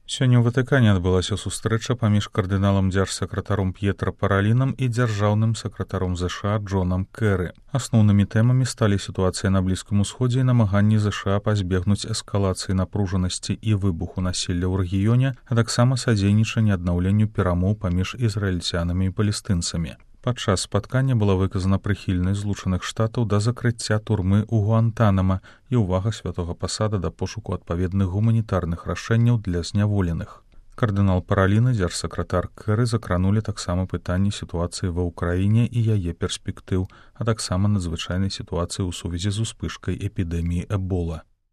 Сёння ў Ватыкане адбылася сустрэча паміж кардыналам дзяржсакратаром П'етра Паралінам і дзяржаўным сакратаром ЗША Джонам Кэры. Асноўнымі тэмамі сталі сітуацыя на Блізкім Усходзе і намаганні ЗША пазбегнуць эскалацыі напружанасці і выбуху насілля ў рэгіёне, а таксама садзейнічанне аднаўленню перамоў паміж ізраільцянамі і палестынцамі. Падчас спаткання была выказана прыхільнасць Злучаных Штатаў да закрыцця турмы ў Гуантанама і ўвага святога пасада да пошуку адпаведных гуманітарных рашэнняў для зняволеных. Кардынал Паралін і дзяржсакратар Кэры закранулі таксама пытанні сітуацыі ва ўкраіне і яе перспектыў, а таксама надзвычайнай сітуацыі ў сувязі з успышкай эпідэміі Эбола.